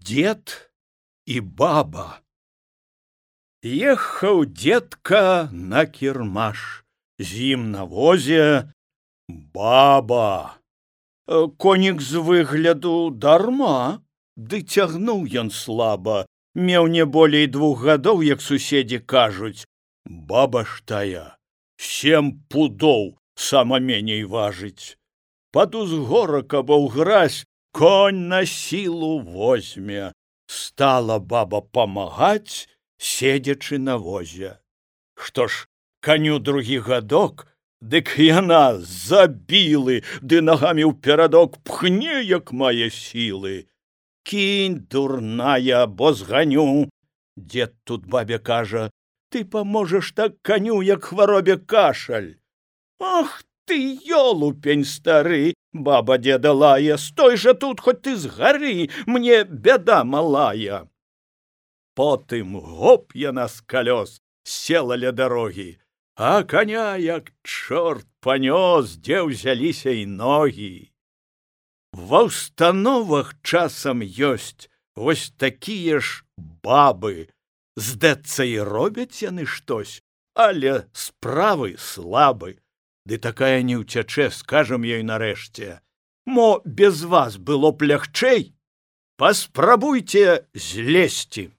Дед и баба. Ехаў детка на кірмаш, з ім на возе баба. Конік з выгляду дарма, ды цягнуў ён слаба, меў не болей 2 гадоў, як суседзі кажуць. Баба ж тая 7 пудоў сама меней важыць. Пад узгорак або ўгразь конь на сілу возьме. Стала баба памагаць, седзячы на возе. Што ж, каню 2 гадок, дык яна забілы, ды нагамі ў перадок пхне, як мае сілы. Кінь, дурная, бо зганю. Дед тут бабе кажа: ты паможаш так каню, як хваробе кашаль. Ах ты, ёлупень стары, баба деда лае, стой жа тут, хоць ты згары, мне бяда малая. Потым гоп яна з калёс села ля дарогі, а коня як чорт панёс, дзе ўзяліся і ногі. Ва ўстановах часам ёсць вось такія ж бабы. Здацца, і робяць яны штось, але справы слабы. Ды такая не ўцячэ, скажам ёй нарэшце: мо без вас было б лягчэй? Паспрабуйце злезці.